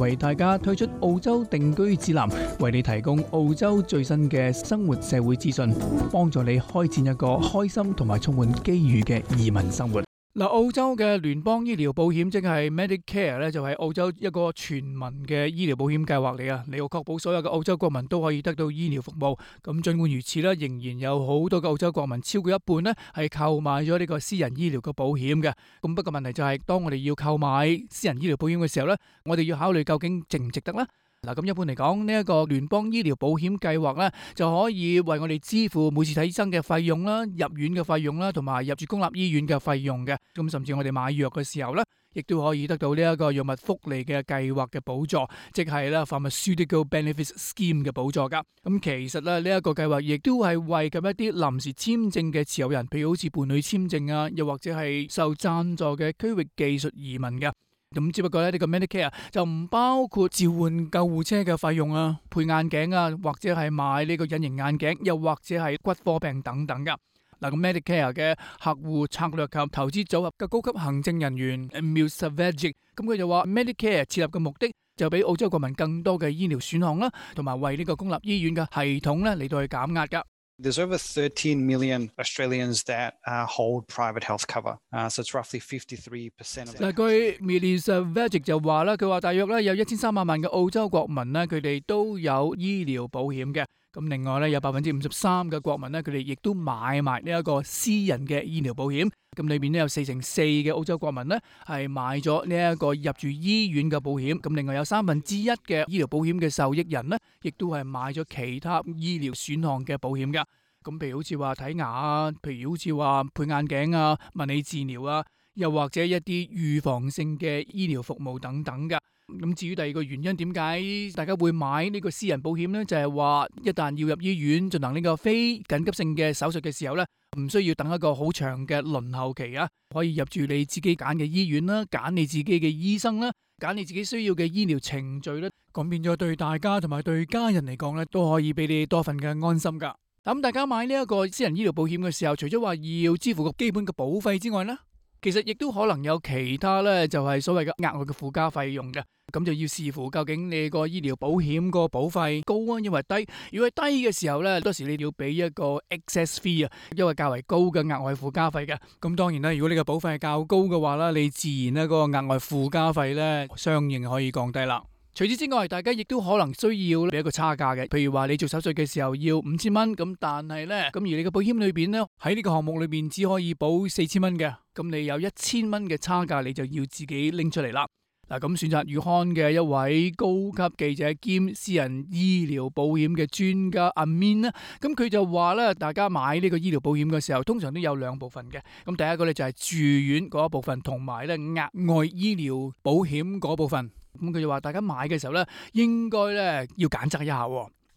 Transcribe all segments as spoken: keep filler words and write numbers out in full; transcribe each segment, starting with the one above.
為大家推出澳洲定居指南，為你提供澳洲最新嘅生活社會資訊，幫助你開展一個開心同埋充滿機遇嘅移民生活。嗱，澳洲嘅聯邦醫療保險即係 Medicare 咧，就係澳洲一個全民嘅醫療保險計劃嚟啊！你要確保所有嘅澳洲國民都可以得到醫療服務。咁儘管如此咧，仍然有好多嘅澳洲國民，超過一半咧係購買咗呢個私人醫療嘅保險嘅。咁不過問題就係，當我哋要購買私人醫療保險嘅時候咧，我哋要考慮究竟值唔值得咧？嗱，咁一般嚟講，呢一個聯邦醫療保險計劃咧，就可以為我哋支付每次睇醫生嘅費用啦、入院嘅費用啦，同埋入住公立醫院嘅費用嘅。咁甚至我哋買藥嘅時候咧，亦都可以得到呢一個藥物福利嘅計劃嘅補助，即係咧 Pharmaceutical Benefits Scheme 嘅補助噶。咁其實咧，呢一個計劃亦都係為咁一啲臨時簽證嘅持有人，譬如好似伴侶簽證啊，又或者係受贊助嘅區域技術移民嘅。咁只不過咧，呢個 Medicare 就唔包括召喚救護車嘅費用啊、配眼鏡啊，或者係買呢個隱形眼鏡，又或者係骨科病等等噶。嗱，咁 Medicare 嘅客戶策略及投資組合嘅高級行政人員 Emil Savage， 咁佢就話 Medicare 設立嘅目的就俾澳洲國民更多嘅醫療選項啦，同埋為呢個公立醫院嘅系統咧嚟到去減壓噶。There's over thirteen million Australians that uh, hold private health cover, uh, so it's roughly fifty-three percent of. 嗱，據 Melissa Vagic 就話啦，佢話大約咧有一千三百萬嘅澳洲國民咧，佢哋都有醫療保險嘅。咁另外咧有百分之五十三嘅國民咧，佢哋亦都買埋呢一個私人嘅醫療保險。咁裏邊咧有四成四嘅澳洲國民咧係買咗呢一個入住醫院嘅保險。咁另外有三分之一嘅醫療保險嘅受益人咧，亦都係買咗其他醫療選項嘅保險噶。咁譬如好似話睇牙啊，譬如好似話配眼鏡啊、物理治療啊，又或者一啲預防性嘅醫療服務等等噶。咁至於第二個原因，點解大家會買呢個私人保險呢？就係話一旦要入醫院進行呢個非緊急性嘅手術嘅時候呢，唔需要等一個好長嘅輪候期啊，可以入住你自己揀嘅醫院啦，揀你自己嘅醫生啦，揀你自己需要嘅醫療程序啦，咁變咗對大家同埋對家人嚟講呢，都可以俾你多份嘅安心噶。咁大家買呢一個私人醫療保險嘅時候，除咗話要支付個基本嘅保費之外呢，其實亦都可能有其他咧，就係所謂嘅額外嘅附加費用嘅。咁就要視乎究竟你個醫療保險個保費高啊，因為低。如果係低嘅時候咧，多時你要俾一個 excess fee 啊，因為較為高嘅額外附加費嘅。咁當然啦，如果你個保費係較高嘅話啦，你自然咧嗰個額外附加費咧，相應可以降低啦。除此之外，大家亦都可能需要俾一個差價嘅，譬如話你做手術嘅時候要五千蚊，咁但係咧，咁而你嘅保險裏邊咧，喺呢個項目裏邊只可以保四千蚊嘅，咁你有一千蚊嘅差價，你就要自己拎出嚟啦。嗱，咁選擇月刊嘅一位高級記者兼私人醫療保險嘅專家阿 Min 咧，咁佢就話咧，大家買呢個醫療保險嘅時候，通常都有兩部分嘅。咁第一個咧就係住院嗰一部分，同埋咧額外醫療保險嗰部分。咁佢就話，大家買嘅時候咧，應該咧要揀擇一下。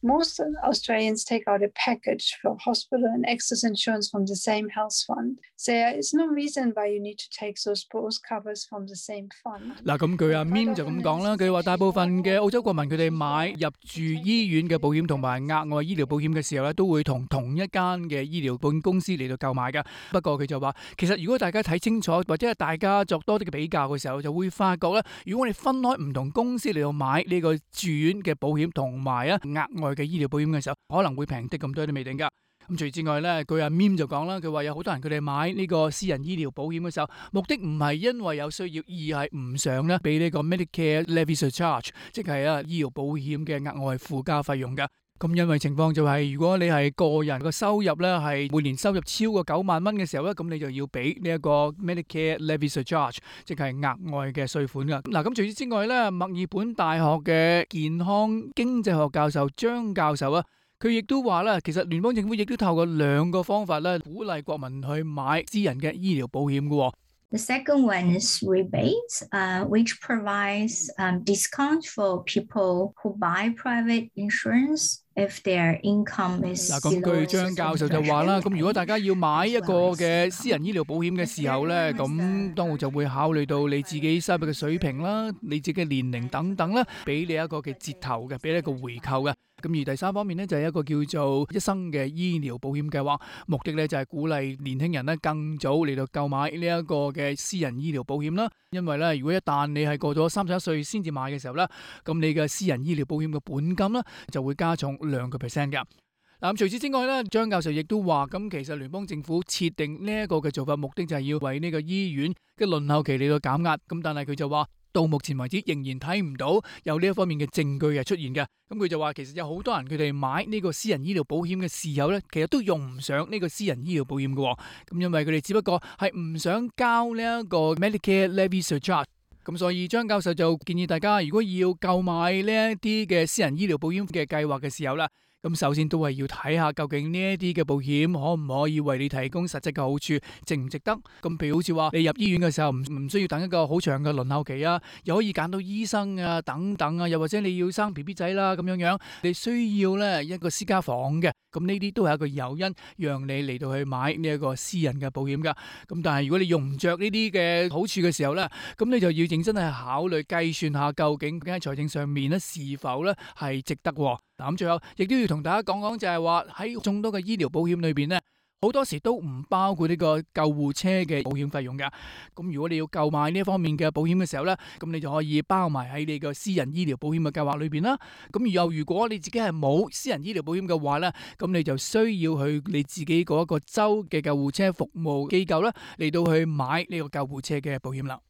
Most Australians take out a package for hospital and excess insurance from the same health fund. So there is no reason why you need to take those both covers from the same fund. 嗱，咁佢阿 Min 就咁講啦，佢話大部分嘅澳洲國民佢哋買入住醫院嘅保險同埋額外醫療保險嘅時候咧，都會同同一間嘅醫療保險公司嚟到購買噶。不過佢就話，其實如果大家睇清楚或者係大家作多啲嘅比較嘅時候，就會發覺咧，如果我哋分開唔同公司嚟到買呢個住院嘅保險同埋啊額外嘅醫療保險嘅時候，可能會平啲咁多都未定噶。咁除此之外咧，佢阿 Mim 就講啦，佢話有好多人佢哋買呢個私人醫療保險嘅時候，目的唔係因為有需要，而係唔想咧俾呢個 Medicare Levy Surcharge， 即係啊醫療保險嘅額外附加費用噶。咁因為情況就係，如果你係個人個收入咧係每年收入超過九萬蚊嘅時候咧，咁你就要俾呢一個 Medicare Levy Surcharge， 即係額外嘅稅款噶。嗱，咁除此之外咧，墨爾本大學嘅健康經濟學教授張教授啊，佢亦都話啦，其實聯邦政府亦都透過兩個方法咧，鼓勵國民去買私人嘅醫療保險嘅。The second one is rebates, uh, which provides um, discount for people who buy private insurance if their income is below. 嗱，咁據張教授就話啦，咁如果大家要買一個嘅私人醫療保險嘅時候咧，咁當然就會考慮到你自己收入嘅水平啦、你自己嘅年齡等等啦，俾你一個嘅折頭嘅，俾你一個回扣嘅。咁而第三方面呢，就係一個叫做一生嘅醫療保險計劃，目的呢就係鼓勵年輕人呢更早嚟到購買呢一個嘅私人醫療保險啦。因為咧，如果一旦你係過咗三十一歲先至買嘅時候咧，咁你嘅私人醫療保險嘅本金咧就會加重兩個 percent 㗎。嗱，咁除此之外咧，張教授亦都話，咁其實聯邦政府設定呢一個嘅做法，目的就係要為呢個醫院嘅輪候期嚟到減壓。咁但係佢就話，到目前為止仍然睇唔到有呢一方面嘅證據係出現嘅。咁佢就話，其實有好多人佢哋買呢個私人醫療保險嘅時候咧，其實都用唔上呢個私人醫療保險嘅。咁因為佢哋只不過係唔想交呢一個 Medicare Levy Surcharge。咁所以張教授就建議大家，如果要購買呢一啲嘅私人醫療保險嘅計劃嘅時候啦，咁首先都係要睇下究竟呢一啲嘅保險可唔可以為你提供實質嘅好處，值唔值得？咁譬如好似話你入醫院嘅時候唔唔需要等一個好長嘅輪候期啊，又可以揀到醫生啊等等啊，又或者你要生 B B 仔啦咁樣樣，你需要咧一個私家房嘅，咁呢啲都係一個誘因，讓你嚟到去買呢一個私人嘅保險噶。咁但係如果你用唔着呢啲嘅好處嘅時候咧，咁你就要認真係考慮計算下究竟喺財政上面咧是否咧係值得。嗱，咁最後亦都要同大家講講，就係話喺眾多嘅醫療保險裏邊咧，好多時都唔包括呢個救護車嘅保險費用㗎。咁如果你要購買呢一方面嘅保險嘅時候咧，咁你就可以包埋喺你個私人醫療保險嘅計劃裏邊啦。咁又如果你自己係冇私人醫療保險嘅話咧，咁你就需要去你自己嗰一個州嘅救護車服務機構啦，嚟到去買呢個救護車嘅保險啦。